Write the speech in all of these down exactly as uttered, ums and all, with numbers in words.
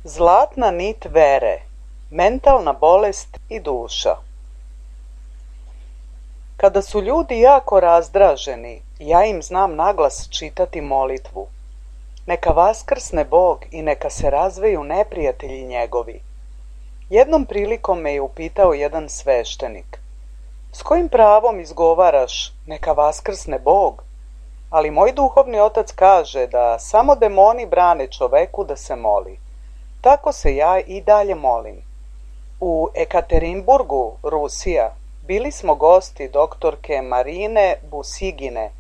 Zlatna nit vere, mentalna bolest i duša. Kada su ljudi jako razdraženi, ja im znam naglas čitati molitvu. Neka vaskrsne Bog i neka se razveju neprijatelji njegovi. Jednom prilikom me je upitao jedan sveštenik: s kojim pravom izgovaraš neka vaskrsne Bog? Ali moj duhovni otac kaže da samo demoni brane čoveku da se moli. Tako se ja i dalje molim. U Ekaterinburgu, Rusija, bili smo gosti doktorke Marine Busigine,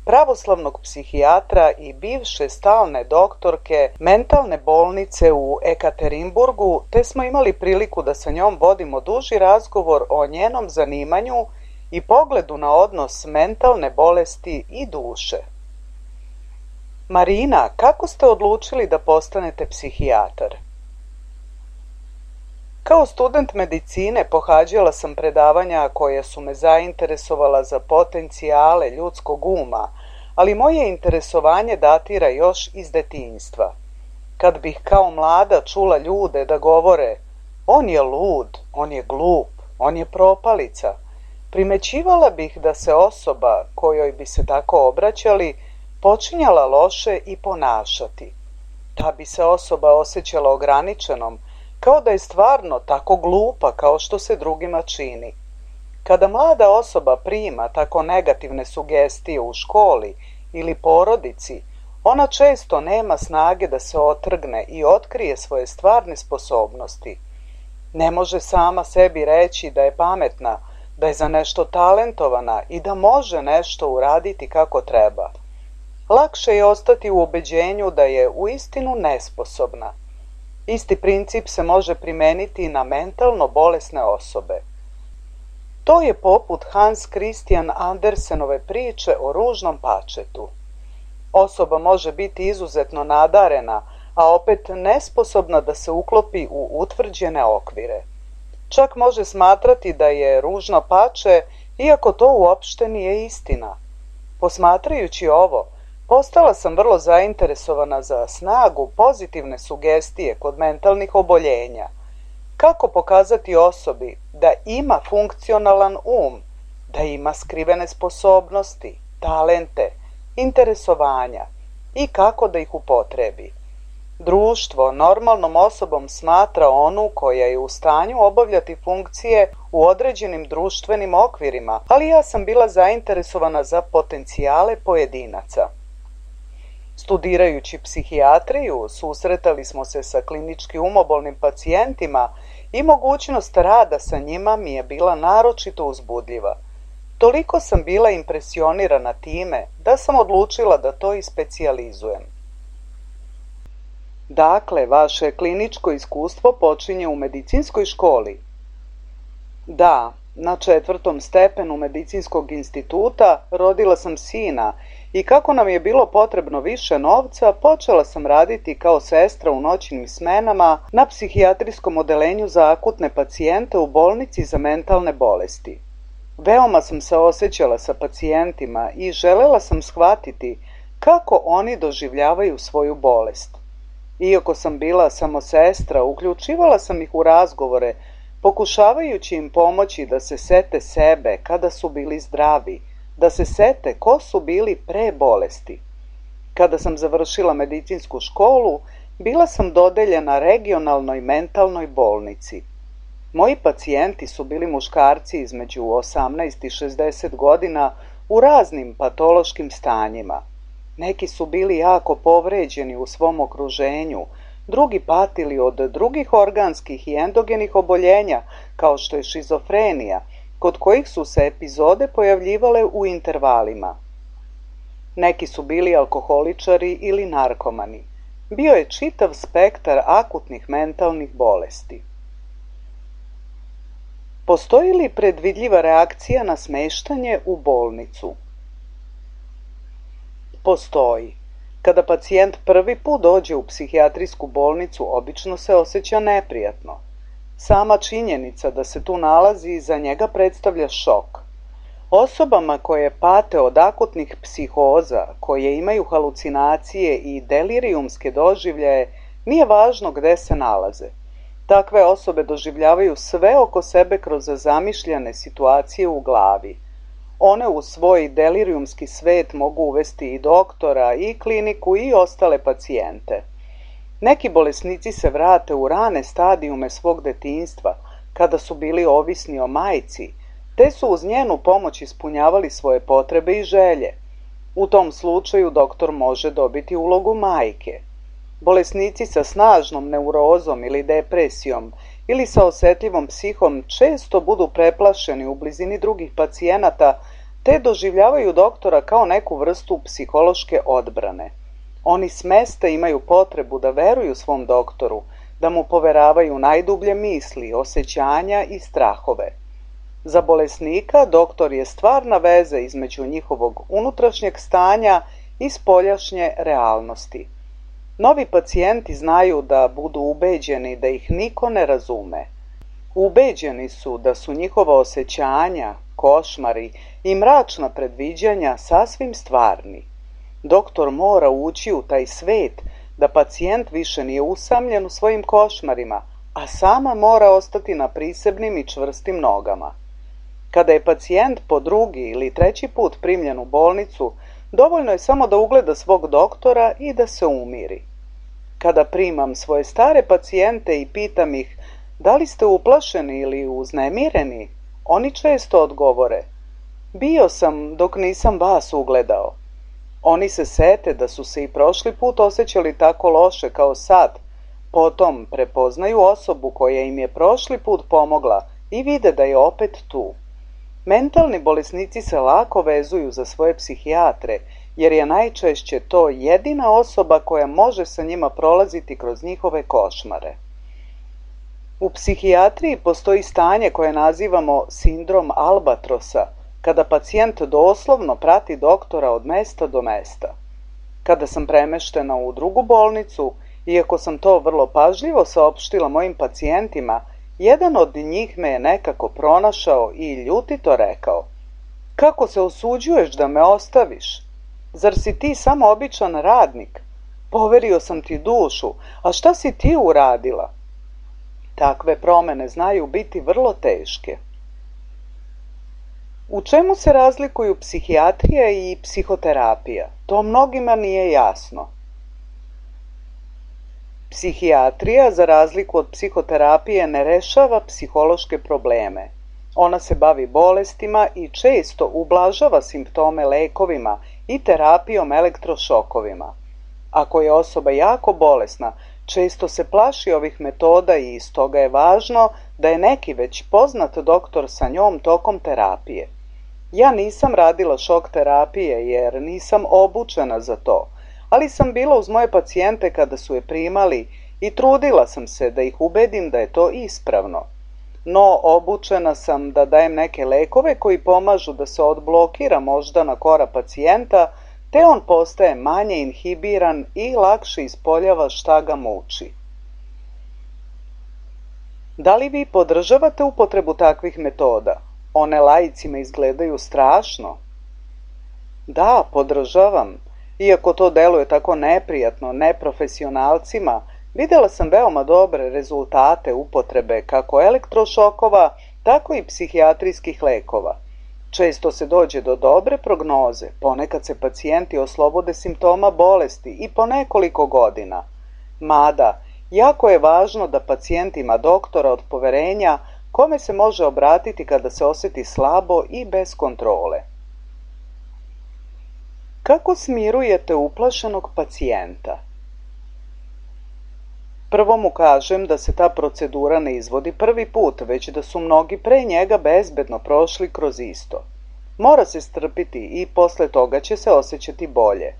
pravoslavnog psihijatra i bivše stalne doktorke mentalne bolnice u Ekaterinburgu, te smo imali priliku da sa njom vodimo duži razgovor o njenom zanimanju i pogledu na odnos mentalne bolesti i duše. Marina, kako ste odlučili da postanete psihijatar? Kao student medicine pohađala sam predavanja koja su me zainteresovala za potencijale ljudskog uma, ali moje interesovanje datira još iz detinjstva. Kad bih kao mlada čula ljude da govore: on je lud, on je glup, on je propalica, primećivala bih da se osoba kojoj bi se tako obraćali počinjala loše i ponašati. Ta bi se osoba osjećala ograničenom, kao da je stvarno tako glupa kao što se drugima čini. Kada mlada osoba prima tako negativne sugestije u školi ili porodici, ona često nema snage da se otrgne i otkrije svoje stvarne sposobnosti. Ne može sama sebi reći da je pametna, da je za nešto talentovana i da može nešto uraditi kako treba. Lakše je ostati u ubeđenju da je uistinu nesposobna. Isti princip se može primeniti na mentalno bolesne osobe. To je poput Hans Christian Andersenove priče o ružnom pačetu. Osoba može biti izuzetno nadarena, a opet nesposobna da se uklopi u utvrđene okvire. Čak može smatrati da je ružno pače, iako to uopšte nije istina. Posmatrajući ovo, postala sam vrlo zainteresovana za snagu pozitivne sugestije kod mentalnih oboljenja. Kako pokazati osobi da ima funkcionalan um, da ima skrivene sposobnosti, talente, interesovanja i kako da ih upotrebi. Društvo normalnom osobom smatra onu koja je u stanju obavljati funkcije u određenim društvenim okvirima, ali ja sam bila zainteresovana za potencijale pojedinaca. Studirajući psihijatriju, susretali smo se sa klinički umobolnim pacijentima i mogućnost rada sa njima mi je bila naročito uzbudljiva. Toliko sam bila impresionirana time da sam odlučila da to i specijalizujem. Dakle, vaše kliničko iskustvo počinje u medicinskoj školi? Da, na četvrtom stepenu medicinskog instituta rodila sam sina i kako nam je bilo potrebno više novca, počela sam raditi kao sestra u noćnim smenama na psihijatrijskom odelenju za akutne pacijente u bolnici za mentalne bolesti. Veoma sam se osjećala sa pacijentima i želela sam shvatiti kako oni doživljavaju svoju bolest. Iako sam bila samo sestra, uključivala sam ih u razgovore, pokušavajući im pomoći da se sete sebe kada su bili zdravi, da se sete ko su bili pre bolesti. Kada sam završila medicinsku školu, bila sam dodeljena regionalnoj mentalnoj bolnici. Moji pacijenti su bili muškarci između osamnaest i šezdeset godina u raznim patološkim stanjima. Neki su bili jako povređeni u svom okruženju, drugi patili od drugih organskih i endogenih oboljenja, kao što je šizofrenija, kod kojih su se epizode pojavljivale u intervalima. Neki su bili alkoholičari ili narkomani. Bio je čitav spektar akutnih mentalnih bolesti. Postoji li predvidljiva reakcija na smeštanje u bolnicu? Postoji. Kada pacijent prvi put dođe u psihijatrijsku bolnicu, obično se osjeća neprijatno. Sama činjenica da se tu nalazi za njega predstavlja šok. Osobama koje pate od akutnih psihoza, koje imaju halucinacije i delirijumske doživljaje, Nije važno gde se nalaze. Takve osobe doživljavaju sve oko sebe kroz zamišljene situacije u glavi. One u svoj delirijumski svet mogu uvesti i doktora, i kliniku, i ostale pacijente. Neki bolesnici se vrate u rane stadijume svog detinjstva, kada su bili ovisni o majci, te su uz njenu pomoć ispunjavali svoje potrebe i želje. U tom slučaju doktor može dobiti ulogu majke. Bolesnici sa snažnom neurozom ili depresijom ili sa osjetljivom psihom često budu preplašeni u blizini drugih pacijenata te doživljavaju doktora kao neku vrstu psihološke odbrane. Oni smesta imaju potrebu da veruju svom doktoru, da mu poveravaju najdublje misli, osjećanja i strahove. Za bolesnika doktor je stvarna veza između njihovog unutrašnjeg stanja i spoljašnje realnosti. Novi pacijenti znaju da budu ubeđeni da ih niko ne razume. Ubeđeni su da su njihova osjećanja, košmari i mračna predviđanja sasvim stvarni. Doktor mora ući u taj svet da pacijent više nije usamljen u svojim košmarima, a sama mora ostati na prisebnim i čvrstim nogama. Kada je pacijent po drugi ili treći put primljen u bolnicu, dovoljno je samo da ugleda svog doktora i da se umiri. Kada primam svoje stare pacijente i pitam ih da li ste uplašeni ili uznemireni, oni često odgovore: bio sam dok nisam vas ugledao. Oni se sete da su se i prošli put osjećali tako loše kao sad, potom prepoznaju osobu koja im je prošli put pomogla i vide da je opet tu. Mentalni bolesnici se lako vezuju za svoje psihijatre, jer je najčešće to jedina osoba koja može sa njima prolaziti kroz njihove košmare. U psihijatriji postoji stanje koje nazivamo sindrom albatrosa, kada pacijent doslovno prati doktora od mesta do mesta. Kada sam premeštena u drugu bolnicu, iako sam to vrlo pažljivo saopštila mojim pacijentima, jedan od njih me je nekako pronašao i ljutito rekao: kako se usuđuješ da me ostaviš? Zar si ti samo običan radnik? Poverio sam ti dušu, a šta si ti uradila? Takve promene znaju biti vrlo teške. U čemu se razlikuju psihijatrija i psihoterapija? To mnogima nije jasno. Psihijatrija, za razliku od psihoterapije, ne rešava psihološke probleme. Ona se bavi bolestima i često ublažava simptome lekovima i terapijom elektrošokovima. Ako je osoba jako bolesna, često se plaši ovih metoda i stoga je važno da je neki već poznat doktor sa njom tokom terapije. Ja nisam radila šok terapije jer nisam obučena za to, ali sam bila uz moje pacijente kada su je primali i trudila sam se da ih ubedim da je to ispravno. No, obučena sam da dajem neke lekove koji pomažu da se odblokira moždana kora pacijenta, te on postaje manje inhibiran i lakše ispoljava šta ga muči. Da li vi podržavate upotrebu takvih metoda? One laicima izgledaju strašno. Da, podržavam. Iako to deluje tako neprijatno neprofesionalcima, videla sam veoma dobre rezultate upotrebe kako elektrošokova, tako i psihijatrijskih lekova. Često se dođe do dobre prognoze, ponekad se pacijenti oslobode simptoma bolesti i po nekoliko godina. Mada, jako je važno da pacijent ima doktora od poverenja kome se može obratiti kada se osjeti slabo i bez kontrole. Kako smirujete uplašenog pacijenta? Prvo mu kažem da se ta procedura ne izvodi prvi put, već da su mnogi pre njega bezbedno prošli kroz isto. Mora se strpiti i posle toga će se osjećati bolje.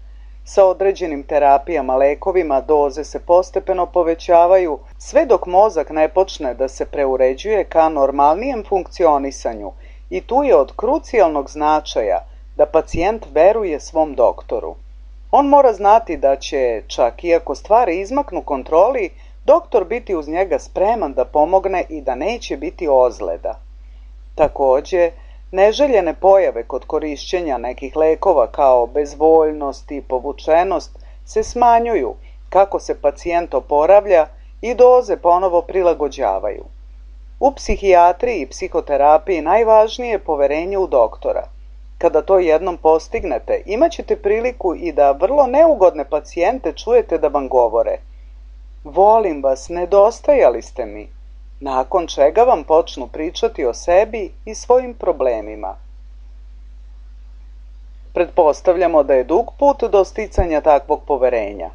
Sa određenim terapijama, lekovima, doze se postepeno povećavaju, sve dok mozak ne počne da se preuređuje ka normalnijem funkcionisanju i tu je od krucijalnog značaja da pacijent veruje svom doktoru. On mora znati da će, čak i ako stvari izmaknu kontroli, doktor biti uz njega spreman da pomogne i da neće biti ozljeda. Takođe, neželjene pojave kod korišćenja nekih lekova kao bezvoljnost i povučenost se smanjuju kako se pacijent oporavlja i doze ponovo prilagođavaju. U psihijatriji i psihoterapiji najvažnije je poverenje u doktora. Kada to jednom postignete, imat ćete priliku i da vrlo neugodne pacijente čujete da vam govore: volim vas, nedostajali ste mi, nakon čega vam počnu pričati o sebi i svojim problemima. Pretpostavljamo da je dug put do sticanja takvog poverenja.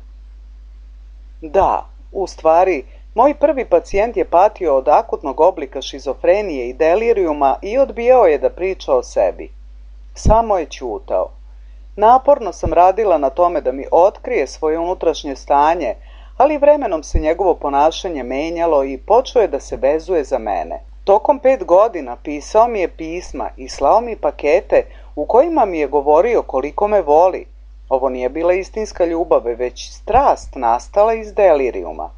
Da, u stvari, moj prvi pacijent je patio od akutnog oblika šizofrenije i delirijuma i odbijao je da priča o sebi. Samo je ćutao. Naporno sam radila na tome da mi otkrije svoje unutrašnje stanje, ali vremenom se njegovo ponašanje menjalo i počeo je da se vezuje za mene. Tokom pet godina pisao mi je pisma i slao mi pakete u kojima mi je govorio koliko me voli. Ovo nije bila istinska ljubav, već strast nastala iz delirijuma.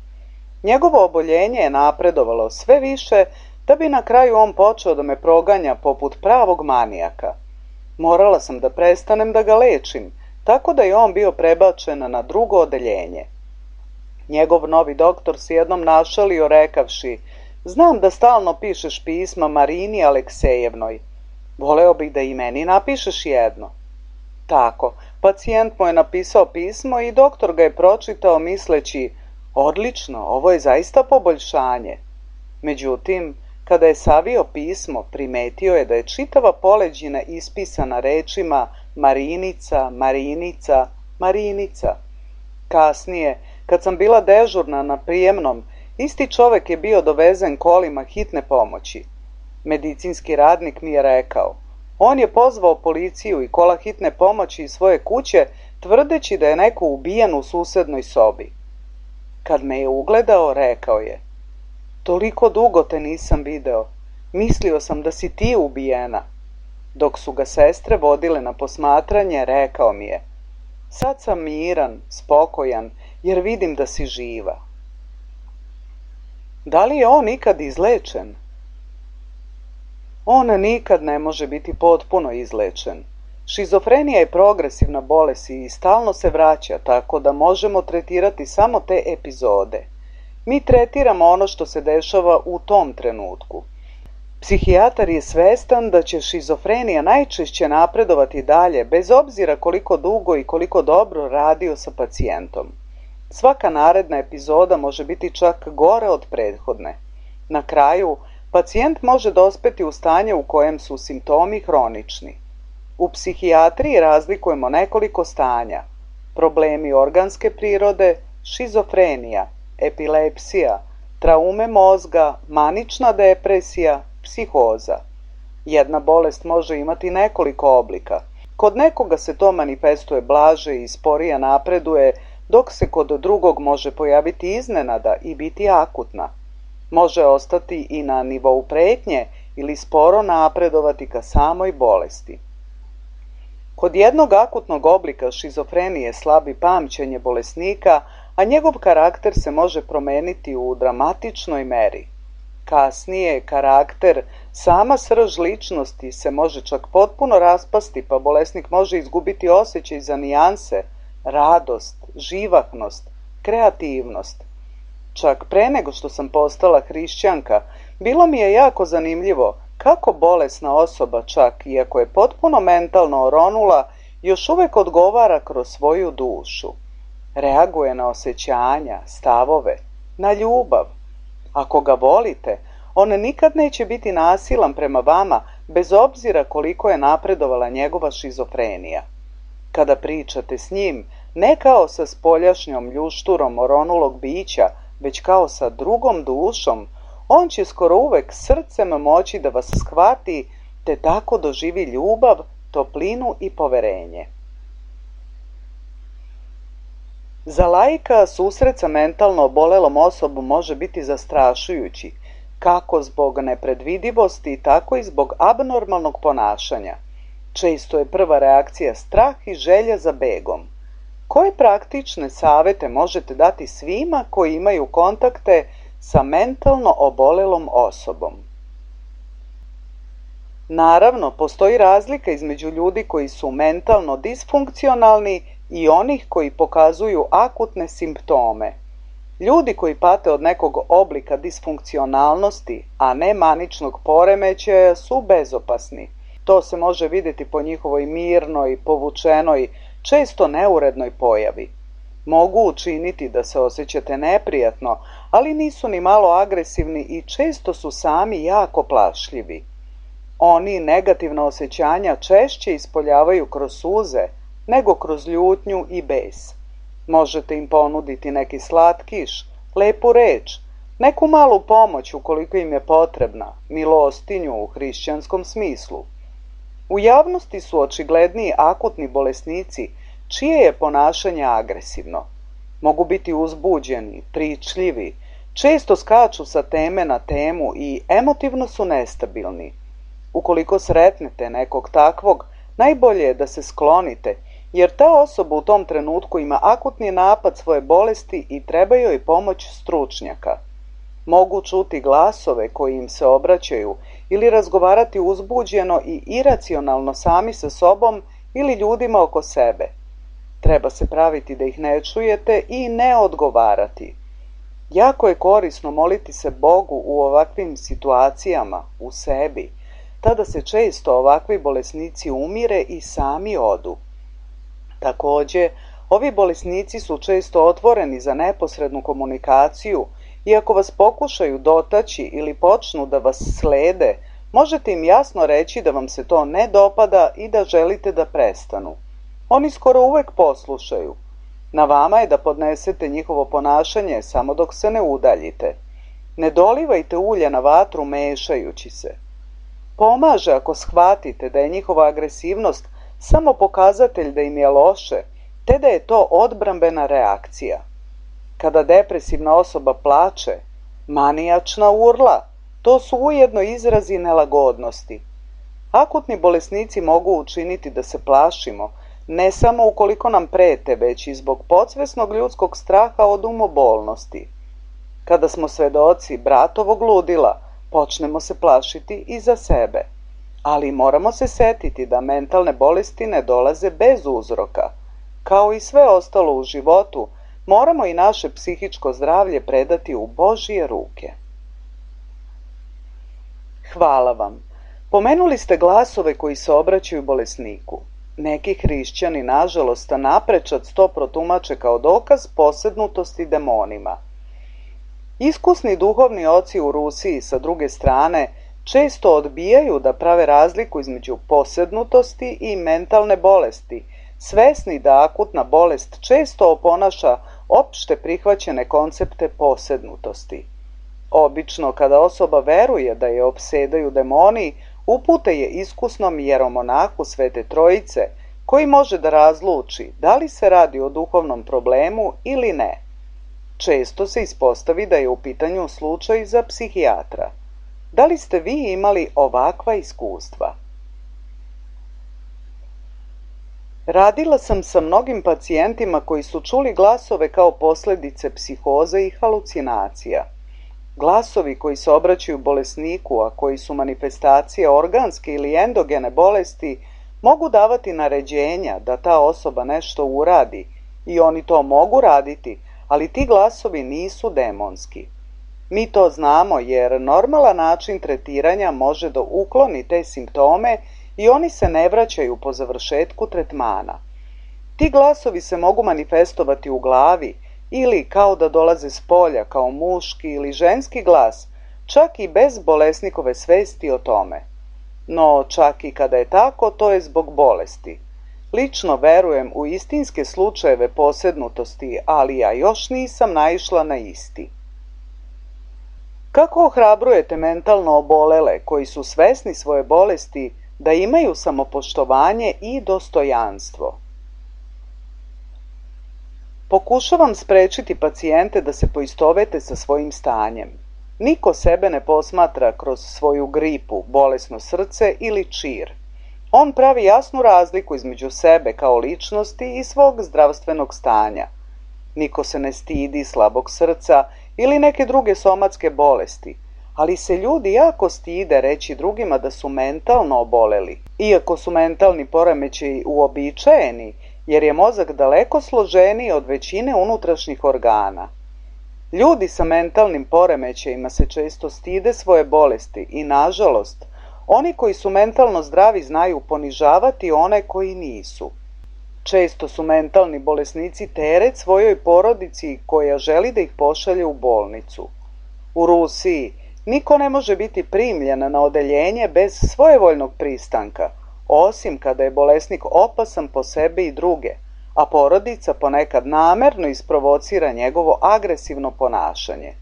Njegovo oboljenje je napredovalo sve više da bi na kraju on počeo da me proganja poput pravog manijaka. Morala sam da prestanem da ga lečim, tako da je on bio prebačen na drugo odeljenje. Njegov novi doktor se jednom našalio rekavši: znam da stalno pišeš pisma Marini Aleksejevnoj. Voleo bih da i meni napišeš jedno. Tako, pacijent mu je napisao pismo i doktor ga je pročitao misleći: odlično, ovo je zaista poboljšanje. Međutim, kada je savio pismo, primetio je da je čitava poleđina ispisana rečima Marinica, Marinica, Marinica. Kasnije, kad sam bila dežurna na prijemnom, isti čovek je bio dovezen kolima hitne pomoći. Medicinski radnik mi je rekao: on je pozvao policiju i kola hitne pomoći iz svoje kuće, tvrdeći da je neko ubijen u susednoj sobi. Kad me je ugledao, rekao je: toliko dugo te nisam video, mislio sam da si ti ubijena. Dok su ga sestre vodile na posmatranje, rekao mi je: sad sam miran, spokojan, jer vidim da si živa. Da li je on ikad izlečen? On nikad ne može biti potpuno izlečen. Šizofrenija je progresivna bolest i stalno se vraća, tako da možemo tretirati samo te epizode. Mi tretiramo ono što se dešava u tom trenutku. Psihijatar je svestan da će šizofrenija najčešće napredovati dalje, bez obzira koliko dugo i koliko dobro radio sa pacijentom. Svaka naredna epizoda može biti čak gore od prethodne. Na kraju, pacijent može dospeti u stanje u kojem su simptomi hronični. U psihijatriji razlikujemo nekoliko stanja: problemi organske prirode, šizofrenija, epilepsija, traume mozga, manična depresija, psihoza. Jedna bolest može imati nekoliko oblika. Kod nekoga se to manifestuje blaže i sporije napreduje, dok se kod drugog može pojaviti iznenada i biti akutna. Može ostati i na nivou pretnje ili sporo napredovati ka samoj bolesti. Kod jednog akutnog oblika šizofrenije slabi pamćenje bolesnika, a njegov karakter se može promeniti u dramatičnoj meri. Kasnije karakter, sama srž ličnosti se može čak potpuno raspasti, pa bolesnik može izgubiti osjećaj za nijanse, radost, živahnost, kreativnost. Čak pre nego što sam postala hrišćanka, bilo mi je jako zanimljivo kako bolesna osoba, čak iako je potpuno mentalno oronula, još uvek odgovara kroz svoju dušu. Reaguje na osjećanja, stavove, na ljubav. Ako ga volite, on nikad neće biti nasilan prema vama, bez obzira koliko je napredovala njegova šizofrenija. Kada pričate s njim, ne kao sa spoljašnjom ljušturom oronulog bića, već kao sa drugom dušom, on će skoro uvek srcem moći da vas shvati, te tako doživi ljubav, toplinu i poverenje. Za laika susret sa mentalno obolelom osobom može biti zastrašujući, kako zbog nepredvidivosti, tako i zbog abnormalnog ponašanja. Često je prva reakcija strah i želja za begom. Koje praktične savete možete dati svima koji imaju kontakte sa mentalno obolelom osobom? Naravno, postoji razlika između ljudi koji su mentalno disfunkcionalni i onih koji pokazuju akutne simptome. Ljudi koji pate od nekog oblika disfunkcionalnosti, a ne maničnog poremećaja, su bezopasni. To se može vidjeti po njihovoj mirnoj, povučenoj, često neurednoj pojavi. Mogu učiniti da se osjećate neprijatno, ali nisu ni malo agresivni i često su sami jako plašljivi. Oni negativna osjećanja češće ispoljavaju kroz suze nego kroz ljutnju i bes. Možete im ponuditi neki slatkiš, lepu reč, neku malu pomoć ukoliko im je potrebna, milostinju u hrišćanskom smislu. U javnosti su očigledniji akutni bolesnici čije je ponašanje agresivno. Mogu biti uzbuđeni, pričljivi, često skaču sa teme na temu i emotivno su nestabilni. Ukoliko sretnete nekog takvog, najbolje je da se sklonite, jer ta osoba u tom trenutku ima akutni napad svoje bolesti i treba joj pomoć stručnjaka. Mogu čuti glasove koji im se obraćaju ili razgovarati uzbuđeno i iracionalno sami sa sobom ili ljudima oko sebe. Treba se praviti da ih ne čujete i ne odgovarati. Jako je korisno moliti se Bogu u ovakvim situacijama, u sebi. Tada se često ovakvi bolesnici umire i sami odu. Također, ovi bolesnici su često otvoreni za neposrednu komunikaciju i ako vas pokušaju dotaći ili počnu da vas slede, možete im jasno reći da vam se to ne dopada i da želite da prestanu. Oni skoro uvek poslušaju. Na vama je da podnesete njihovo ponašanje samo dok se ne udaljite. Ne dolivajte ulje na vatru mešajući se. Pomaže ako shvatite da je njihova agresivnost samo pokazatelj da im je loše, te da je to odbrambena reakcija. Kada depresivna osoba plače, manijačna urla, to su ujedno izrazi nelagodnosti. Akutni bolesnici mogu učiniti da se plašimo, ne samo ukoliko nam prete, već i zbog podsvesnog ljudskog straha od umobolnosti. Kada smo svedoci bratovog ludila, počnemo se plašiti i za sebe. Ali moramo se setiti da mentalne bolesti ne dolaze bez uzroka. Kao i sve ostalo u životu, moramo i naše psihičko zdravlje predati u Božje ruke. Hvala vam. Pomenuli ste glasove koji se obraćaju bolesniku. Neki hrišćani, nažalost, naprečac to protumače kao dokaz posednutosti demonima. Iskusni duhovni oci u Rusiji, sa druge strane, često odbijaju da prave razliku između posednutosti i mentalne bolesti, svesni da akutna bolest često oponaša opšte prihvaćene koncepte posednutosti. Obično, kada osoba veruje da je opsedaju demoni, upute je iskusnom jeromonahu Svete Trojice, koji može da razluči da li se radi o duhovnom problemu ili ne. Često se ispostavi da je u pitanju slučaj za psihijatra. Da li ste vi imali ovakva iskustva? Radila sam sa mnogim pacijentima koji su čuli glasove kao posljedice psihoze i halucinacija. Glasovi koji se obraćaju bolesniku, a koji su manifestacije organske ili endogene bolesti, mogu davati naređenja da ta osoba nešto uradi i oni to mogu raditi, ali ti glasovi nisu demonski. Mi to znamo jer normalan način tretiranja može da ukloni te simptome i oni se ne vraćaju po završetku tretmana. Ti glasovi se mogu manifestovati u glavi ili kao da dolaze s polja kao muški ili ženski glas, čak i bez bolesnikove svesti o tome. No čak i kada je tako, to je zbog bolesti. Lično verujem u istinske slučajeve posednutosti, ali ja još nisam naišla na isti. Kako ohrabrujete mentalno obolele koji su svesni svoje bolesti da imaju samopoštovanje i dostojanstvo? Pokušavam sprečiti pacijente da se poistovete sa svojim stanjem. Niko sebe ne posmatra kroz svoju gripu, bolesno srce ili čir. On pravi jasnu razliku između sebe kao ličnosti i svog zdravstvenog stanja. Niko se ne stidi slabog srca ili neke druge somatske bolesti, ali se ljudi jako stide reći drugima da su mentalno oboleli. Iako su mentalni poremećaji uobičajeni jer je mozak daleko složeniji od većine unutrašnjih organa. Ljudi sa mentalnim poremećajima se često stide svoje bolesti i, nažalost, oni koji su mentalno zdravi znaju ponižavati one koji nisu. Često su mentalni bolesnici teret svojoj porodici koja želi da ih pošalje u bolnicu. U Rusiji niko ne može biti primljen na odeljenje bez svojevoljnog pristanka, osim kada je bolesnik opasan po sebe i druge, a porodica ponekad namerno isprovocira njegovo agresivno ponašanje.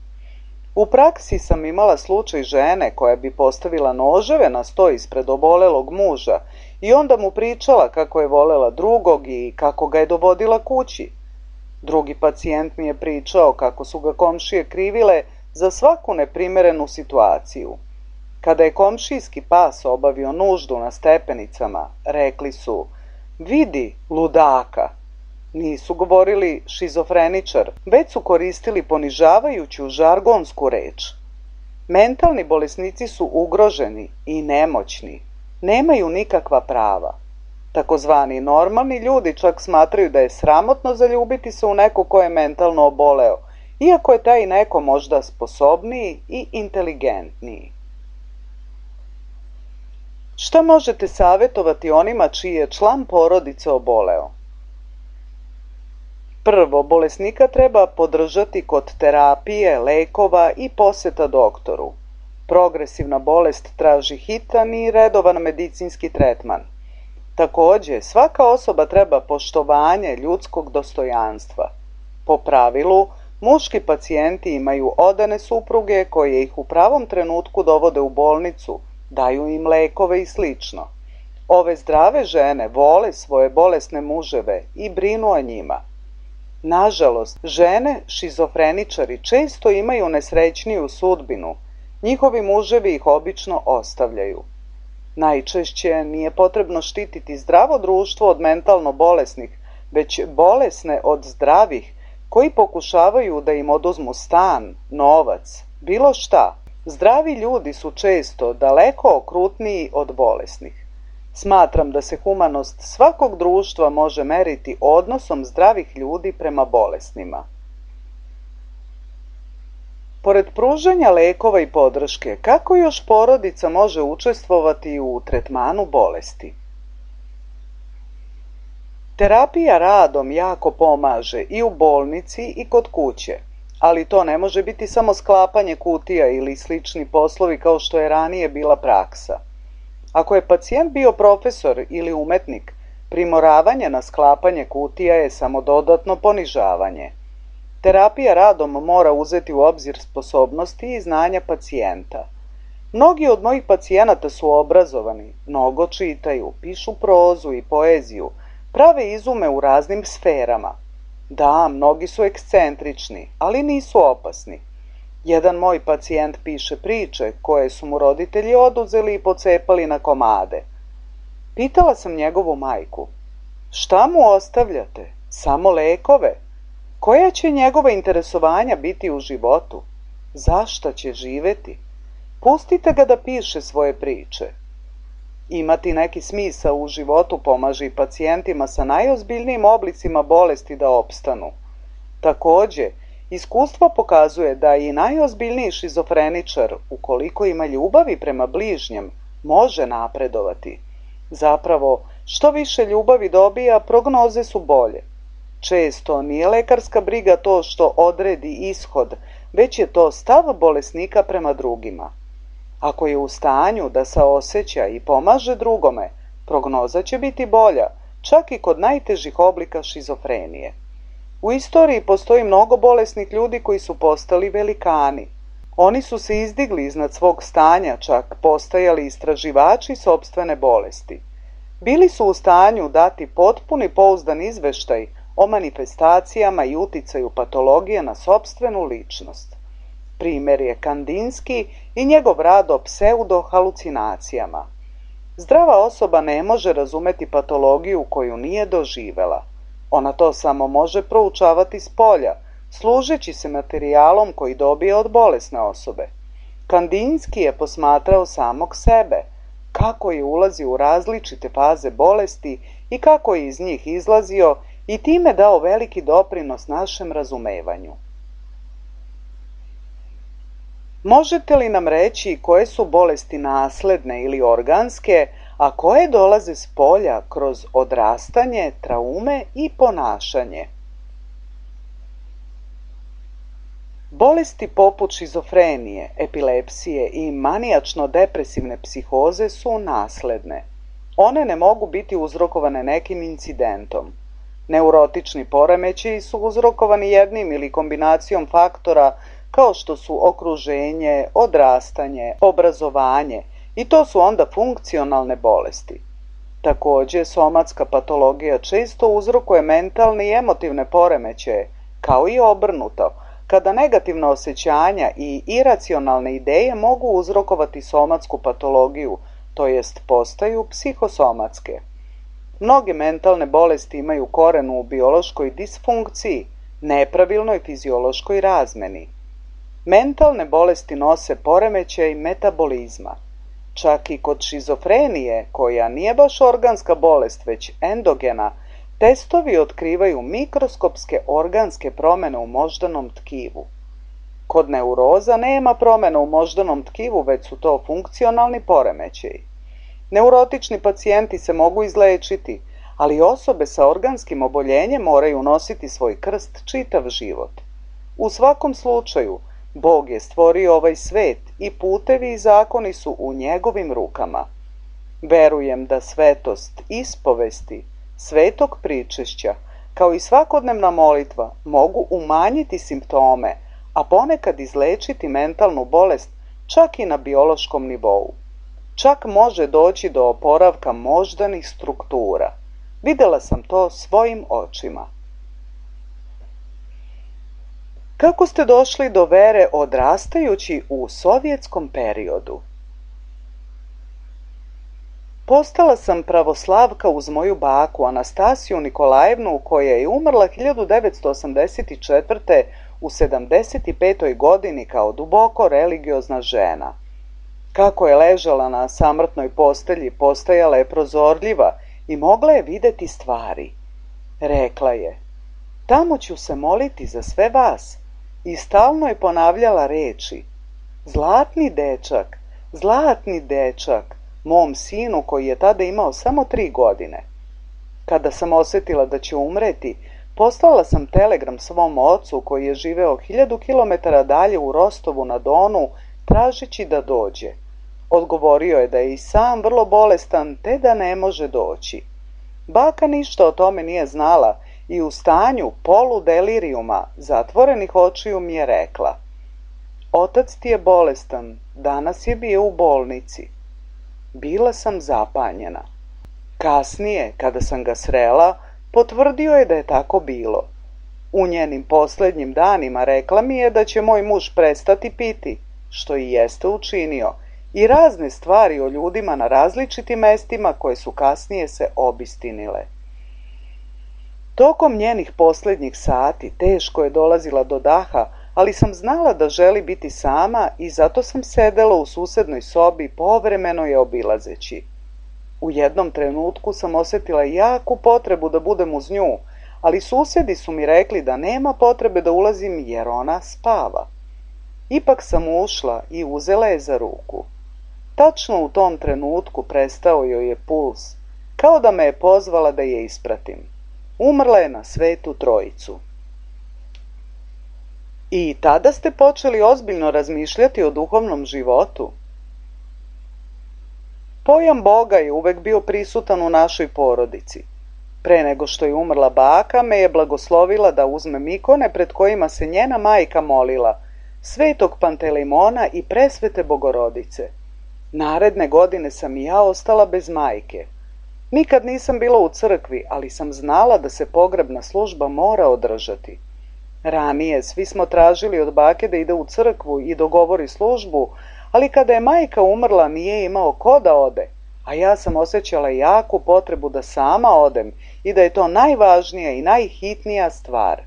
U praksi sam imala slučaj žene koja bi postavila noževe na sto ispred obolelog muža i onda mu pričala kako je volela drugog i kako ga je dovodila kući. Drugi pacijent mi je pričao kako su ga komšije krivile za svaku neprimerenu situaciju. Kada je komšijski pas obavio nuždu na stepenicama, rekli su: "Vidi, ludaka." Nisu govorili šizofreničar, već su koristili ponižavajuću žargonsku reč. Mentalni bolesnici su ugroženi i nemoćni, nemaju nikakva prava. Takozvani normalni ljudi čak smatraju da je sramotno zaljubiti se u neko ko je mentalno oboleo, iako je taj neko možda sposobniji i inteligentniji. Šta možete savjetovati onima čiji je član porodice oboleo? Prvo, bolesnika treba podržati kod terapije, lekova i poseta doktoru. Progresivna bolest traži hitan i redovan medicinski tretman. Takođe, svaka osoba treba poštovanje ljudskog dostojanstva. Po pravilu, muški pacijenti imaju odane supruge koje ih u pravom trenutku dovode u bolnicu, daju im lekove i slično. Ove zdrave žene vole svoje bolesne muževe i brinu o njima. Nažalost, žene šizofreničari često imaju nesrećniju sudbinu. Njihovi muževi ih obično ostavljaju. Najčešće nije potrebno štititi zdravo društvo od mentalno bolesnih, već bolesne od zdravih, koji pokušavaju da im oduzmu stan, novac, bilo šta. Zdravi ljudi su često daleko okrutniji od bolesnih. Smatram da se humanost svakog društva može meriti odnosom zdravih ljudi prema bolesnima. Pored pružanja lekova i podrške, kako još porodica može učestvovati u tretmanu bolesti? Terapija radom jako pomaže i u bolnici i kod kuće, ali to ne može biti samo sklapanje kutija ili slični poslovi kao što je ranije bila praksa. Ako je pacijent bio profesor ili umetnik, primoravanje na sklapanje kutija je samo dodatno ponižavanje. Terapija radom mora uzeti u obzir sposobnosti i znanja pacijenta. Mnogi od mojih pacijenata su obrazovani, mnogo čitaju, pišu prozu i poeziju, prave izume u raznim sferama. Da, mnogi su ekscentrični, ali nisu opasni. Jedan moj pacijent piše priče koje su mu roditelji oduzeli i pocepali na komade. Pitala sam njegovu majku: "Šta mu ostavljate? Samo lekove? Koja će njegova interesovanja biti u životu? Zašta će živeti? Pustite ga da piše svoje priče." Imati neki smisao u životu pomaže i pacijentima sa najozbiljnijim oblicima bolesti da opstanu. Takođe, iskustvo pokazuje da i najozbiljniji šizofreničar, ukoliko ima ljubavi prema bližnjem, može napredovati. Zapravo, što više ljubavi dobija, prognoze su bolje. Često nije lekarska briga to što odredi ishod, već je to stav bolesnika prema drugima. Ako je u stanju da saoseća i pomaže drugome, prognoza će biti bolja, čak i kod najtežih oblika šizofrenije. U istoriji postoji mnogo bolesnih ljudi koji su postali velikani. Oni su se izdigli iznad svog stanja, čak postajali istraživači sopstvene bolesti. Bili su u stanju dati potpuni pouzdan izveštaj o manifestacijama i uticaju patologije na sopstvenu ličnost. Primer je Kandinski i njegov rad o pseudohalucinacijama. Zdrava osoba ne može razumeti patologiju koju nije doživela. Ona to samo može proučavati s polja, služeći se materijalom koji dobije od bolesne osobe. Kandinski je posmatrao samog sebe. kako je ulazio u različite faze bolesti i kako je iz njih izlazio i time dao veliki doprinos našem razumevanju. Možete li nam reći koje su bolesti nasledne ili organske, a koje dolaze s polja kroz odrastanje, traume i ponašanje? Bolesti poput šizofrenije, epilepsije i manijačno-depresivne psihoze su nasledne. One ne mogu biti uzrokovane nekim incidentom. Neurotični poremećaji su uzrokovani jednim ili kombinacijom faktora kao što su okruženje, odrastanje, obrazovanje i to su onda funkcionalne bolesti. Također, somatska patologija često uzrokuje mentalne i emotivne poremećaje, kao i obrnuto, kada negativna osjećanja i iracionalne ideje mogu uzrokovati somatsku patologiju, to jest postaju psihosomatske. Mnoge mentalne bolesti imaju koren u biološkoj disfunkciji, nepravilnoj fiziološkoj razmeni. Mentalne bolesti nose poremećaj metabolizma. Čak i kod šizofrenije, koja nije baš organska bolest, već endogena, testovi otkrivaju mikroskopske organske promjene u moždanom tkivu. Kod neuroza nema promjena u moždanom tkivu, već su to funkcionalni poremećaji. Neurotični pacijenti se mogu izlečiti, ali osobe sa organskim oboljenjem moraju nositi svoj krst čitav život. U svakom slučaju, Bog je stvorio ovaj svet i putevi i zakoni su u njegovim rukama. Verujem da svetost ispovesti, svetog pričešća, kao i svakodnevna molitva, mogu umanjiti simptome, a ponekad izlečiti mentalnu bolest čak i na biološkom nivou. Čak može doći do oporavka moždanih struktura. Vidjela sam to svojim očima. Kako ste došli do vere odrastajući u sovjetskom periodu? Postala sam pravoslavka uz moju baku Anastasiju Nikolajevnu, koja je umrla hiljadu devetsto osamdeset četvrte. u sedamdeset petoj godini kao duboko religiozna žena. Kako je ležala na samrtnoj postelji, postajala je prozorljiva i mogla je vidjeti stvari. Rekla je: "Tamo ću se moliti za sve vas." I stalno je ponavljala riječi: "Zlatni dečak, zlatni dečak," mom sinu koji je tada imao samo tri godine. Kada sam osjetila da će umreti, poslala sam telegram svom ocu koji je živeo hiljadu kilometara dalje u Rostovu na Donu, tražeći da dođe. Odgovorio je da je i sam vrlo bolestan, te da ne može doći. Baka ništa o tome nije znala i u stanju poludeliriuma, zatvorenih očiju, mi je rekla: "Otac ti je bolestan, danas je bio u bolnici." Bila sam zapanjena. Kasnije, kada sam ga srela, potvrdio je da je tako bilo. U njenim posljednjim danima rekla mi je da će moj muž prestati piti, što i jeste učinio, i razne stvari o ljudima na različitim mestima koje su kasnije se obistinile. Tokom njenih posljednjih sati teško je dolazila do daha, ali sam znala da želi biti sama i zato sam sedela u susednoj sobi, povremeno je obilazeći. U jednom trenutku sam osjetila jaku potrebu da budem uz nju, ali susjedi su mi rekli da nema potrebe da ulazim jer ona spava. Ipak sam ušla i uzela je za ruku. Tačno u tom trenutku prestao joj je puls, kao da me je pozvala da je ispratim. Umrla je na Svetu Trojicu. I tada ste počeli ozbiljno razmišljati o duhovnom životu? Pojam Boga je uvek bio prisutan u našoj porodici. Pre nego što je umrla baka, me je blagoslovila da uzmem ikone pred kojima se njena majka molila, Svetog Pantelejmona i Presvete Bogorodice. Naredne godine sam i ja ostala bez majke. Nikad nisam bila u crkvi, ali sam znala da se pogrebna služba mora održati. Ranije svi smo tražili od bake da ide u crkvu i dogovori službu, ali kada je majka umrla nije imao ko da ode, a ja sam osjećala jaku potrebu da sama odem i da je to najvažnija i najhitnija stvar.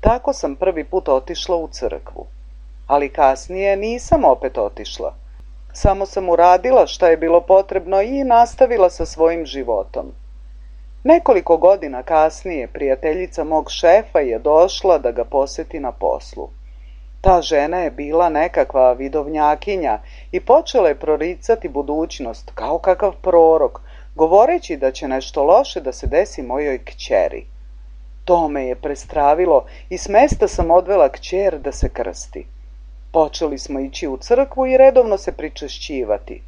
Tako sam prvi put otišla u crkvu, ali kasnije nisam opet otišla. Samo sam uradila šta je bilo potrebno i nastavila sa svojim životom. Nekoliko godina kasnije prijateljica mog šefa je došla da ga poseti na poslu. Ta žena je bila nekakva vidovnjakinja i počela je proricati budućnost kao kakav prorok, govoreći da će nešto loše da se desi mojoj kćeri. To me je prestravilo i s mesta sam odvela kćer da se krsti. Počeli smo ići u crkvu i redovno se pričešćivati.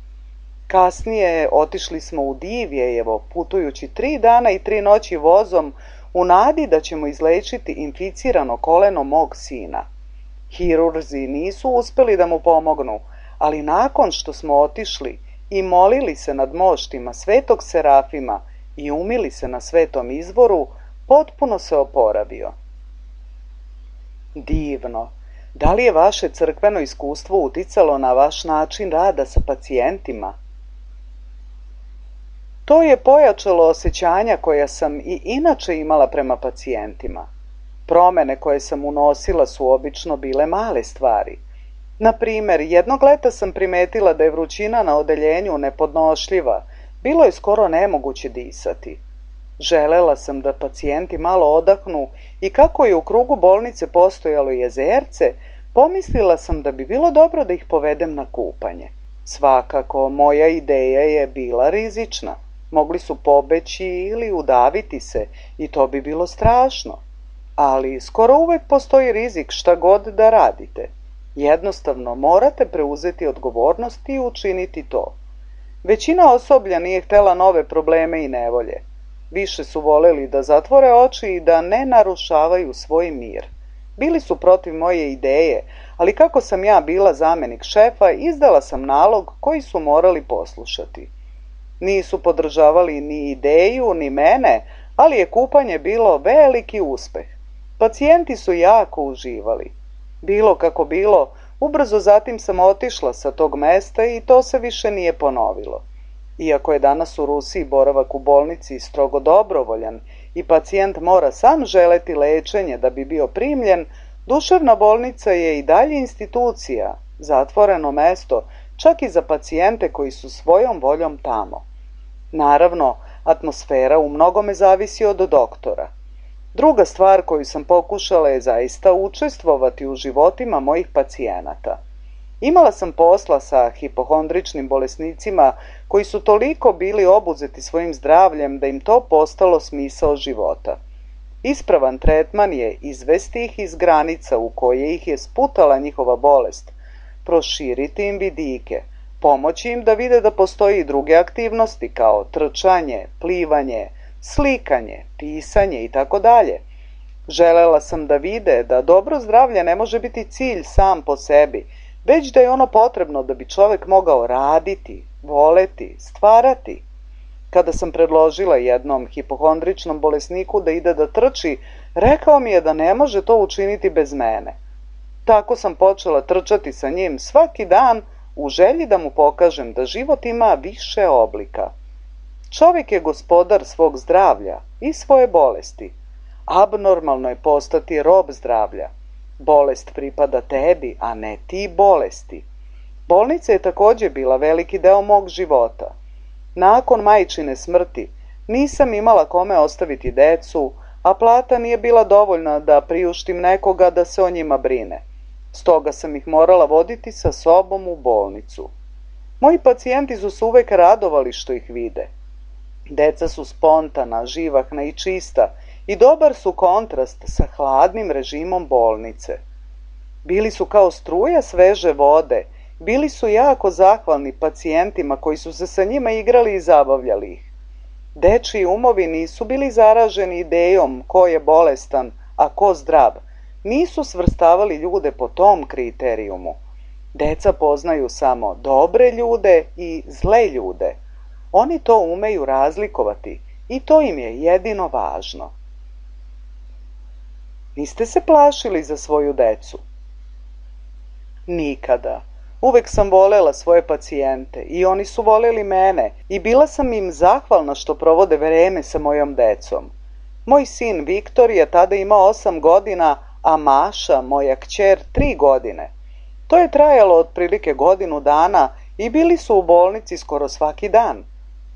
Kasnije otišli smo u Divjejevo, putujući tri dana i tri noći vozom u nadi da ćemo izlečiti inficirano koleno mog sina. Hirurzi nisu uspjeli da mu pomognu, ali nakon što smo otišli i molili se nad moštima svetog Serafima i umili se na svetom izvoru, potpuno se oporavio. Divno! Da li je vaše crkveno iskustvo uticalo na vaš način rada sa pacijentima? To je pojačalo osjećanja koja sam i inače imala prema pacijentima. Promene koje sam unosila su obično bile male stvari. Na primjer, jednog leta sam primetila da je vrućina na odeljenju nepodnošljiva, bilo je skoro nemoguće disati. Želela sam da pacijenti malo odahnu i kako je u krugu bolnice postojalo jezerce, pomislila sam da bi bilo dobro da ih povedem na kupanje. Svakako, moja ideja je bila rizična. Mogli su pobeći ili udaviti se i to bi bilo strašno. Ali skoro uvek postoji rizik šta god da radite. Jednostavno morate preuzeti odgovornost i učiniti to. Većina osoblja nije htjela nove probleme i nevolje. Više su voleli da zatvore oči i da ne narušavaju svoj mir. Bili su protiv moje ideje, ali kako sam ja bila zamjenik šefa, izdala sam nalog koji su morali poslušati. Nisu podržavali ni ideju, ni mene, ali je kupanje bilo veliki uspeh. Pacijenti su jako uživali. Bilo kako bilo, ubrzo zatim sam otišla sa tog mesta i to se više nije ponovilo. Iako je danas u Rusiji boravak u bolnici strogo dobrovoljan i pacijent mora sam želeti lečenje da bi bio primljen, duševna bolnica je i dalje institucija, zatvoreno mesto, čak i za pacijente koji su svojom voljom tamo. Naravno, atmosfera u mnogome zavisi od doktora. Druga stvar koju sam pokušala je zaista učestvovati u životima mojih pacijenata. Imala sam posla sa hipohondričnim bolesnicima koji su toliko bili obuzeti svojim zdravljem da im to postalo smisao života. Ispravan tretman je izvesti ih iz granica u koje ih je sputala njihova bolest, proširiti im vidike, pomoći im da vide da postoji i druge aktivnosti kao trčanje, plivanje, slikanje, pisanje i tako dalje. Želela sam da vide da dobro zdravlje ne može biti cilj sam po sebi, već da je ono potrebno da bi čovjek mogao raditi, voleti, stvarati. Kada sam predložila jednom hipohondričnom bolesniku da ide da trči, rekao mi je da ne može to učiniti bez mene. Tako sam počela trčati sa njim svaki dan u želji da mu pokažem da život ima više oblika. Čovjek je gospodar svog zdravlja i svoje bolesti. Abnormalno je postati rob zdravlja. Bolest pripada tebi, a ne ti bolesti. Bolnica je također bila veliki deo mog života. Nakon majčine smrti nisam imala kome ostaviti decu, a plata nije bila dovoljna da priuštim nekoga da se o njima brine. Stoga sam ih morala voditi sa sobom u bolnicu. Moji pacijenti su se uvek radovali što ih vide. Deca su spontana, živahna i čista i dobar su kontrast sa hladnim režimom bolnice. Bili su kao struja sveže vode, bili su jako zahvalni pacijentima koji su se sa njima igrali i zabavljali ih. Dečiji umovi nisu bili zaraženi idejom ko je bolestan, a ko zdrav. Nisu svrstavali ljude po tom kriterijumu. Deca poznaju samo dobre ljude i zle ljude. Oni to umeju razlikovati i to im je jedino važno. Niste se plašili za svoju decu? Nikada. Uvek sam volela svoje pacijente i oni su voleli mene i bila sam im zahvalna što provode vreme sa mojom decom. Moj sin Viktor je tada imao osam godina, a Maša, moja kćer, tri godine. To je trajalo otprilike godinu dana i bili su u bolnici skoro svaki dan.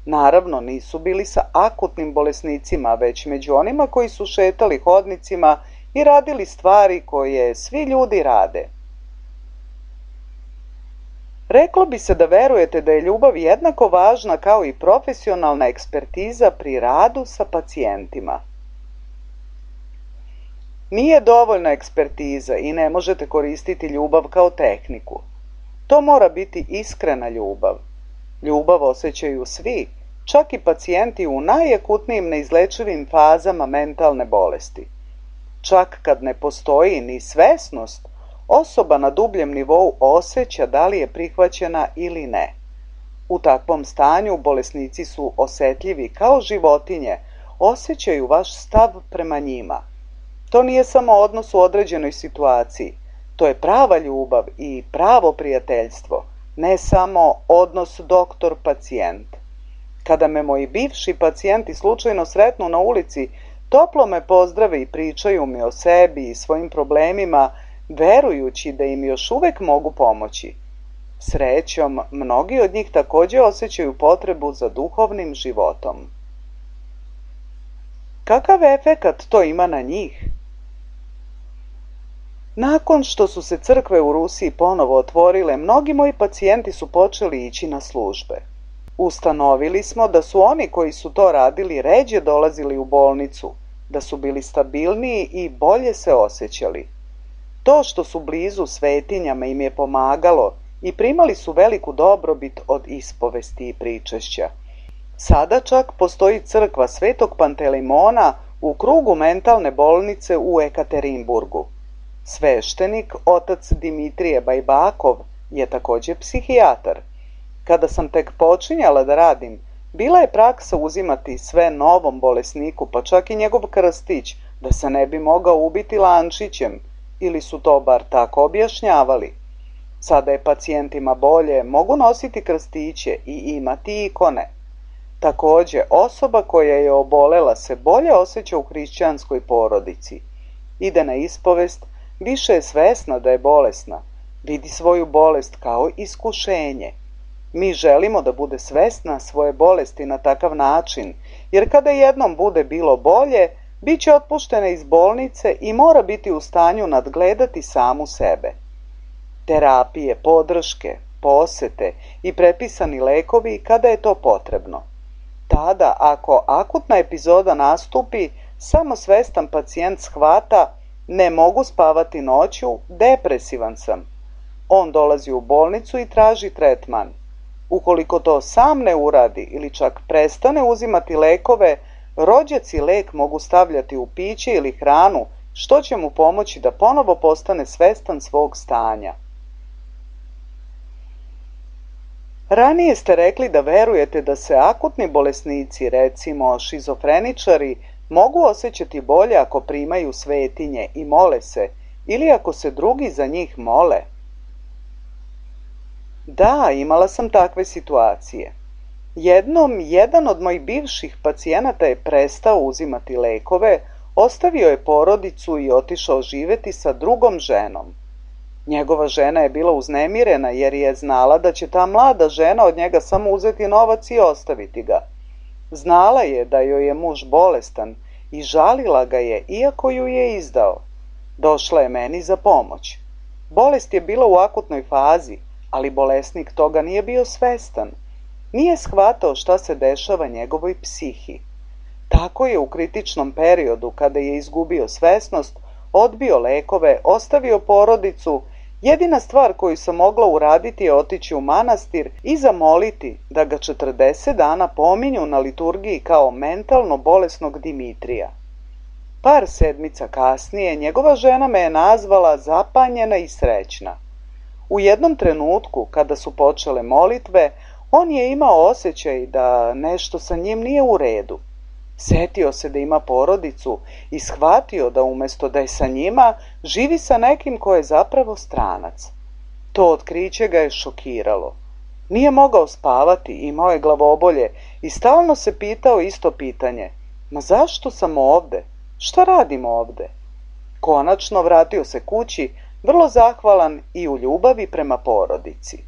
Naravno, nisu bili sa akutnim bolesnicima, već među onima koji su šetali hodnicima i radili stvari koje svi ljudi rade. Reklo bi se da verujete da je ljubav jednako važna kao i profesionalna ekspertiza pri radu sa pacijentima. Nije dovoljna ekspertiza i ne možete koristiti ljubav kao tehniku. To mora biti iskrena ljubav. Ljubav osjećaju svi, čak i pacijenti u najakutnijim neizlečivim fazama mentalne bolesti. Čak kad ne postoji ni svesnost, osoba na dubljem nivou osjeća da li je prihvaćena ili ne. U takvom stanju bolesnici su osjetljivi kao životinje, osjećaju vaš stav prema njima. To nije samo odnos u određenoj situaciji, to je prava ljubav i pravo prijateljstvo, ne samo odnos doktor-pacijent. Kada me moji bivši pacijenti slučajno sretnu na ulici, toplo me pozdrave i pričaju mi o sebi i svojim problemima, verujući da im još uvek mogu pomoći. Srećom, mnogi od njih također osjećaju potrebu za duhovnim životom. Kakav efekat to ima na njih? Nakon što su se crkve u Rusiji ponovo otvorile, mnogi moji pacijenti su počeli ići na službe. Ustanovili smo da su oni koji su to radili ređe dolazili u bolnicu, da su bili stabilniji i bolje se osjećali. To što su blizu svetinjama im je pomagalo i primali su veliku dobrobit od ispovesti i pričešća. Sada čak postoji crkva Svetog Pantelimona u krugu mentalne bolnice u Ekaterinburgu. Sveštenik, otac Dimitrije Bajbakov, je također psihijatar. Kada sam tek počinjala da radim, bila je praksa uzimati sve novom bolesniku, pa čak i njegov krstić, da se ne bi mogao ubiti lančićem, ili su to bar tako objašnjavali. Sada je pacijentima bolje, mogu nositi krstiće i imati ikone. Također, osoba koja je obolela se bolje osjeća u hrišćanskoj porodici. Ide na ispovest, više je svesna da je bolesna, vidi svoju bolest kao iskušenje. Mi želimo da bude svesna svoje bolesti na takav način, jer kada jednom bude bilo bolje, bit će otpuštena iz bolnice i mora biti u stanju nadgledati samu sebe. Terapije, podrške, posete i prepisani lekovi kada je to potrebno. Tada, ako akutna epizoda nastupi, samo svestan pacijent shvata: ne mogu spavati noću, depresivan sam. On dolazi u bolnicu i traži tretman. Ukoliko to sam ne uradi ili čak prestane uzimati lekove, rođaci lek mogu stavljati u piće ili hranu, što će mu pomoći da ponovo postane svestan svog stanja. Ranije ste rekli da verujete da se akutni bolesnici, recimo šizofreničari, mogu osjećati bolje ako primaju svetinje i mole se, ili ako se drugi za njih mole. Da, imala sam takve situacije. Jednom, jedan od mojih bivših pacijenata je prestao uzimati lekove, ostavio je porodicu i otišao živjeti sa drugom ženom. Njegova žena je bila uznemirena jer je znala da će ta mlada žena od njega samo uzeti novac i ostaviti ga. Znala je da joj je muž bolestan i žalila ga je iako ju je izdao. Došla je meni za pomoć. Bolest je bila u akutnoj fazi, ali bolesnik toga nije bio svestan. Nije shvatao šta se dešava njegovoj psihi. Tako je u kritičnom periodu, kada je izgubio svesnost, odbio lekove, ostavio porodicu. Jedina stvar koju sam mogla uraditi je otići u manastir i zamoliti da ga četrdeset dana pominju na liturgiji kao mentalno bolesnog Dimitrija. Par sedmica kasnije njegova žena me je nazvala zapanjena i srećna. U jednom trenutku, kada su počele molitve, on je imao osjećaj da nešto sa njim nije u redu. Setio se da ima porodicu i shvatio da umjesto da je sa njima, živi sa nekim ko je zapravo stranac. To otkriće ga je šokiralo. Nije mogao spavati, imao je glavobolje i stalno se pitao isto pitanje: ma zašto sam ovde? Šta radim ovde? Konačno vratio se kući, vrlo zahvalan i u ljubavi prema porodici.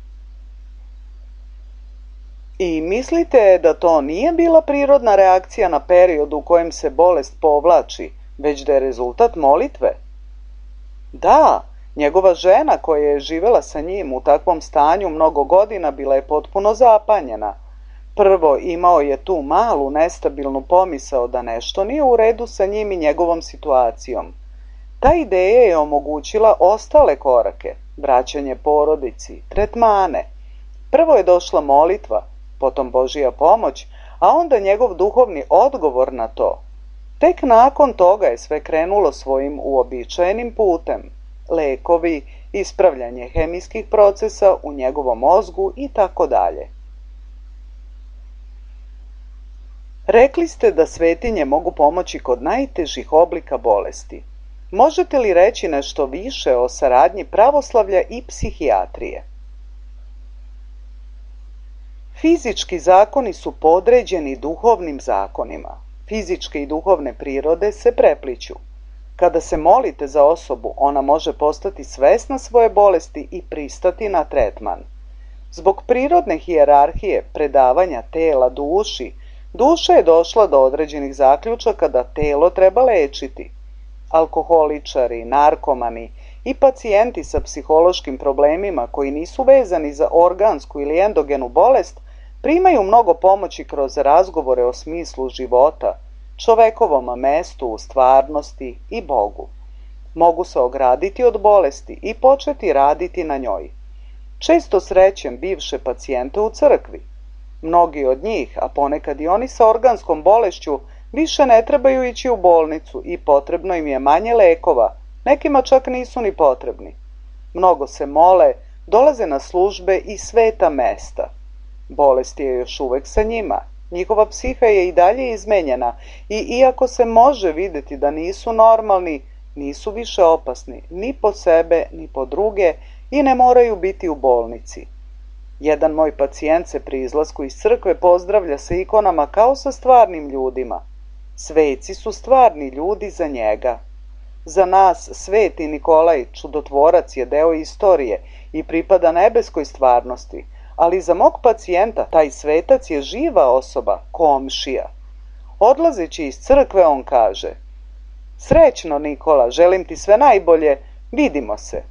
I mislite da to nije bila prirodna reakcija na period u kojem se bolest povlači, već da je rezultat molitve? Da, njegova žena koja je živjela sa njim u takvom stanju mnogo godina bila je potpuno zapanjena. Prvo, imao je tu malu nestabilnu pomisao da nešto nije u redu sa njim i njegovom situacijom. Ta ideja je omogućila ostale korake, vraćanje porodici, tretmane. Prvo je došla molitva, potom Božja pomoć, a onda njegov duhovni odgovor na to. Tek nakon toga je sve krenulo svojim uobičajenim putem. Lekovi, ispravljanje hemijskih procesa u njegovom mozgu i tako dalje. Rekli ste da svetinje mogu pomoći kod najtežih oblika bolesti. Možete li reći nešto više o saradnji pravoslavlja i psihijatrije? Fizički zakoni su podređeni duhovnim zakonima. Fizičke i duhovne prirode se prepliću. Kada se molite za osobu, ona može postati svesna svoje bolesti i pristati na tretman. Zbog prirodne hijerarhije predavanja tela duši, duša je došla do određenih zaključaka da telo treba lečiti. Alkoholičari, narkomani i pacijenti sa psihološkim problemima koji nisu vezani za organsku ili endogenu bolest primaju mnogo pomoći kroz razgovore o smislu života, čovekovom mestu u stvarnosti i Bogu. Mogu se ograditi od bolesti i početi raditi na njoj. Često srećem bivše pacijente u crkvi. Mnogi od njih, a ponekad i oni sa organskom bolešću, više ne trebaju ići u bolnicu i potrebno im je manje lekova, nekima čak nisu ni potrebni. Mnogo se mole, dolaze na službe i sveta mesta. Bolest je još uvek sa njima. Njihova psiha je i dalje izmenjena i iako se može vidjeti da nisu normalni, nisu više opasni ni po sebe ni po druge i ne moraju biti u bolnici. Jedan moj pacijent se pri izlasku iz crkve pozdravlja sa ikonama kao sa stvarnim ljudima. Sveci su stvarni ljudi za njega. Za nas Sveti Nikolaj, čudotvorac, je deo istorije i pripada nebeskoj stvarnosti, ali za mog pacijenta taj svetac je živa osoba, komšija. Odlazeći iz crkve on kaže: "Srećno, Nikola, želim ti sve najbolje, vidimo se."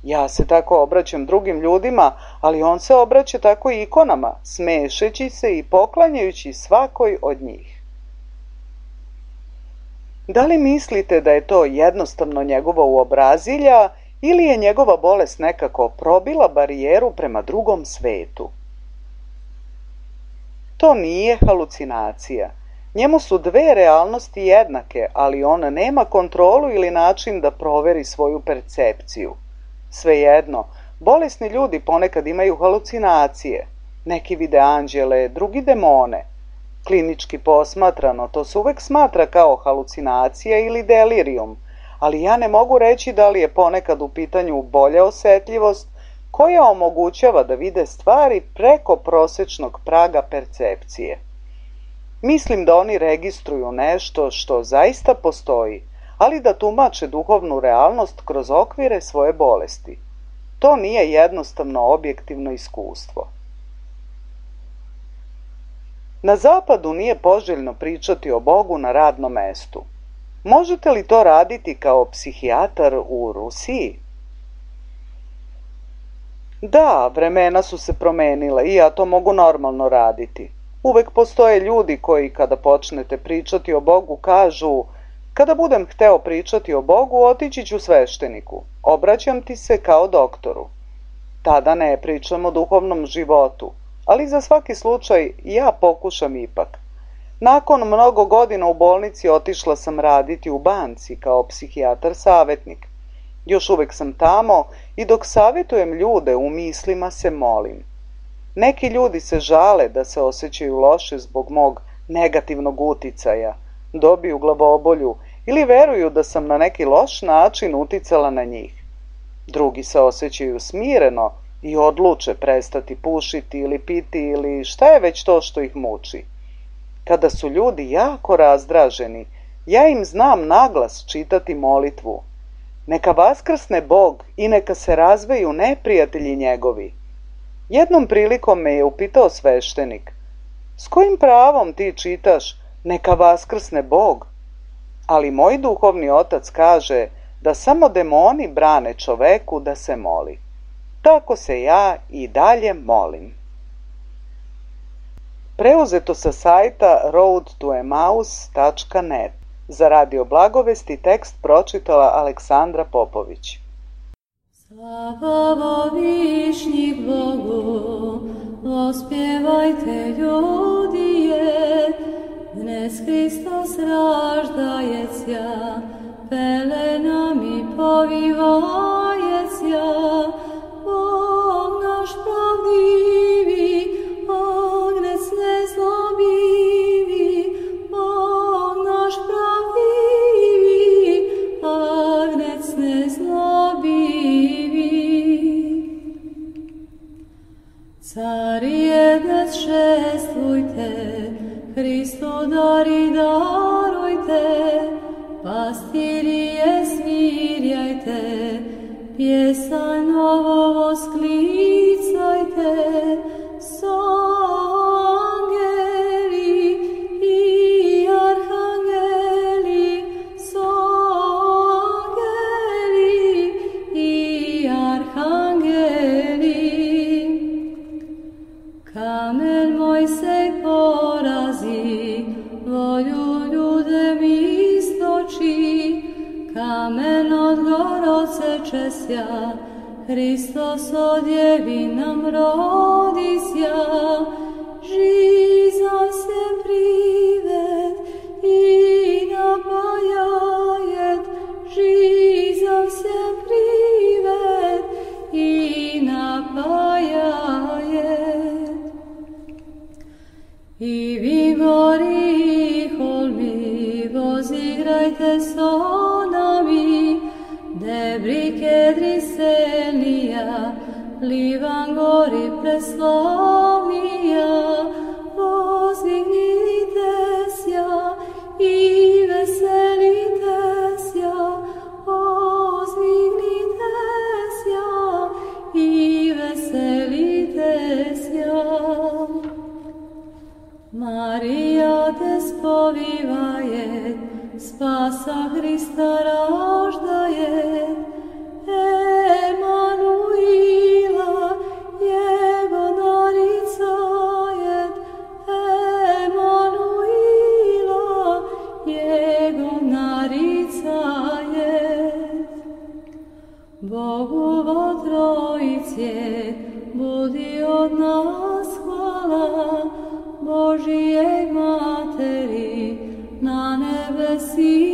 Ja se tako obraćam drugim ljudima, ali on se obraća tako i ikonama, smešeći se i poklanjajući svakoj od njih. Da li mislite da je to jednostavno njegovo uobrazilja ili je njegova bolest nekako probila barijeru prema drugom svetu? To nije halucinacija. Njemu su dve realnosti jednake, ali on nema kontrolu ili način da proveri svoju percepciju. Svejedno, bolesni ljudi ponekad imaju halucinacije. Neki vide anđele, drugi demone. Klinički posmatrano, to se uvek smatra kao halucinacija ili delirijum, ali ja ne mogu reći da li je ponekad u pitanju bolja osetljivost koja omogućava da vide stvari preko prosečnog praga percepcije. Mislim da oni registruju nešto što zaista postoji, ali da tumače duhovnu realnost kroz okvire svoje bolesti. To nije jednostavno objektivno iskustvo. Na zapadu nije poželjno pričati o Bogu na radnom mestu. Možete li to raditi kao psihijatar u Rusiji? Da, vremena su se promenila i ja to mogu normalno raditi. Uvek postoje ljudi koji kada počnete pričati o Bogu kažu: "Kada budem hteo pričati o Bogu, otići ću svešteniku. Obraćam ti se kao doktoru." Tada ne pričam o duhovnom životu, ali za svaki slučaj ja pokušam ipak. Nakon mnogo godina u bolnici otišla sam raditi u banci kao psihijatar savjetnik. Još uvek sam tamo i dok savjetujem ljude u mislima se molim. Neki ljudi se žale da se osjećaju loše zbog mog negativnog uticaja, dobiju glavobolju ili veruju da sam na neki loš način uticala na njih. Drugi se osjećaju smireno i odluče prestati pušiti ili piti ili šta je već to što ih muči. Kada su ljudi jako razdraženi, ja im znam naglas čitati molitvu: "Neka vaskrsne Bog i neka se razveju neprijatelji njegovi." Jednom prilikom me je upitao sveštenik: s kojim pravom ti čitaš neka vaskrsne Bog? Ali moj duhovni otac kaže da samo demoni brane čoveku da se moli. Tako se ja i dalje molim. Preuzeto sa sajta road to emmaus tačka net. Za Radio Blagovesti tekst pročitala Aleksandra Popović. Slava višnjih Bogu, ospjevajte ljudije, dnes Hristos raždajecja, pelenami povivajecja, Bog naš pravdivi, ognec nezlobivi, Bog naš pravdivi, ognec nezlobivi. Carije dnes šestvujte, Hristu dari darujte, pastirije smirjajte, pjesanj novo vosklicajte, angeli i arhangeli, angeli i arhangeli. Kamen Mojsej porazi, volju ljudem istoči, kamen od gor odsečesja, Hristos odjevi nam rodisja. Žiza se privet i napajajet, žiza se privet i napajajet. I vi gori i holmi, vozigrajte so nami, debri kedri selnija, Livan gori preslavnija, vozdignite sja i veselite sja, vozdignite sja i veselite sja. Marija te spovivaje, spasa Hrista raždaje, Emanuila jego naricajet, Emanuila jego naricajet. Bogu vo trojice budi od nas hvala, Božijej materi na nebesi